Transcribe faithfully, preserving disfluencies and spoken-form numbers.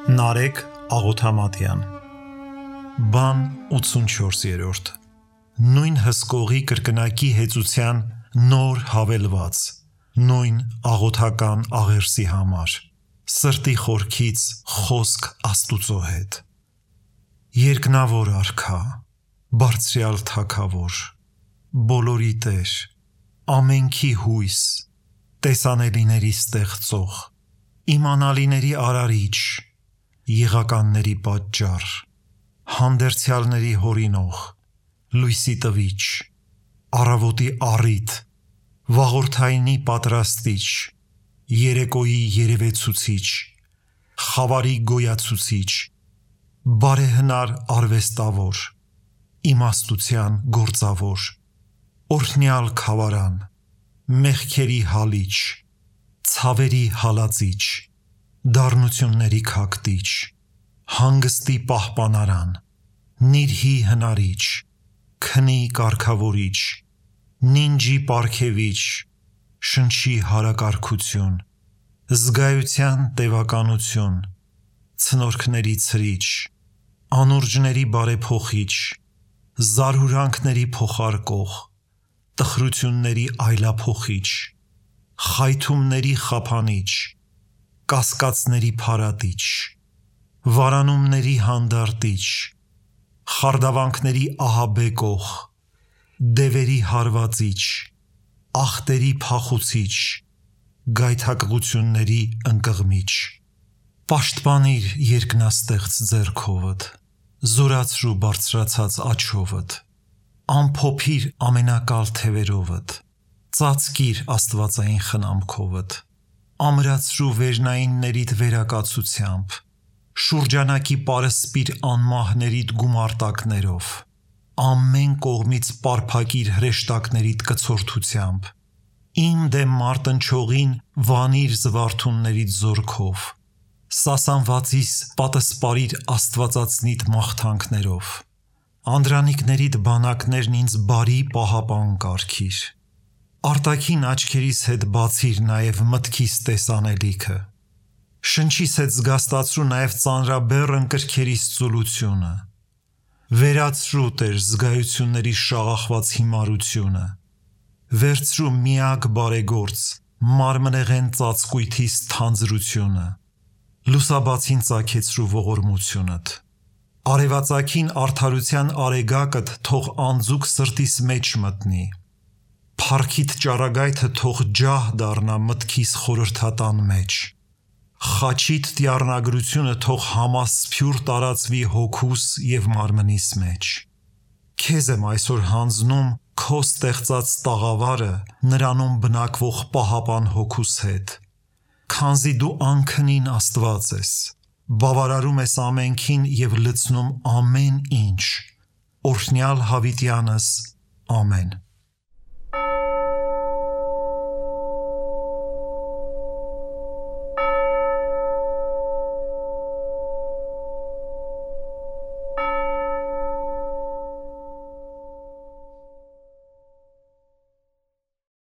Նարեկ Աղոթամատյան Բան ութսունչորսերորդ Նույն հսկողի կրկնակի հեծության նոր հավելված Նույն աղոթական աղերսի համար Սրտի խորքից խոսք Աստուծո հետ Երկնավոր արքա Բարձրյալ թագավոր Բոլորի Տեր Ամենքի հույս Տեսանելիների ստեղծող Իմանալիների արարիչ Եղականների պատճառ Հանդերձյալների հորինող Լույսի տվիչ Առավոտի առիթ Վաղորդայնի պատրաստիչ Երեկոյի երևեցուցիչ Խավարի գոյացուցիչ Բարեհնար արվեստավոր Իմաստության գործավոր Օրհնյալ քավարան Մեղքերի հալիչ Ցավերի հալածիչ Դառնությունների քակտիչ Հանգստի պահպանարան Նիրհի հնարիչ Քնի կարգավորիչ Նինջի պարգևիչ Շնչի հարակարգություն Զգայության տևականություն Ցնորքների ցրիչ Անուրջների բարեփոխիչ Զարհուրանքների փոխարկող Տխրությունների այլափոխիչ Խայթումների խափանիչ Կասկածների փարատիչ Վարանումների հանդարտիչ Խարդավանքների ահաբեկող Դևերի հարվածիչ Ախտերի փախուցիչ Գայթակղությունների ընկղմիչ Պաշտպանիր երկնաստեղծ ձեռքովդ Զորացրու բարձրացած աջովդ Ամփոփիր ամենակալ թևերովդ Ծածկիր աստվածային խնամքովդ Ամրացրու վերնայիններիդ վերակացությամբ Շուրջանակի պարսպիր անմահներիդ գումարտակներով Ամեն կողմից պարփակիր հրեշտակներիդ կցորդությամբ Իմ դեմ մարտնչողին վանիր զվարթուններիդ զորքով Սասանվածիս պատսպարիր աստվածածնիդ մաղթանքներով Անդրանիկներիդ բանակներն ինձ բարի պահապան կարգիր Արտաքին աչքերիս հետ բացիր նաև մտքիս տեսանելիքը Շնչիս հետ զգաստացրու նաև ծանրաբեռն կրքերիս ծուլությունը Վերացրու Տեր զգայությունների շաղախված հիմարությունը Վերցրու միակ բարեգործ մարմնեղեն ծածկույթիս թանձրությունը Լուսաբացին ծագեցրու ողորմությունդ Արևածագին արդարության արեգակդ թող անձուկ սրտիս մեջ մտնի Փառքիդ ճառագայթը թող ջահ դառնա մտքիս խորհրդատան մեջ Խաչիդ տիառնագրությունը թող համասփյուր տարածվի հոգուս և մարմնիս մեջ Քեզ եմ այսօր հանձնում քո ստեղծած տաղավարը նրանում բնակվող պահապան հոգուս հետ Քանզի դու անքնին Աստված ես Բավարարում ես ամենքին և լցնում ամեն ինչ Օրհնյալ հավիտյանս Ամեն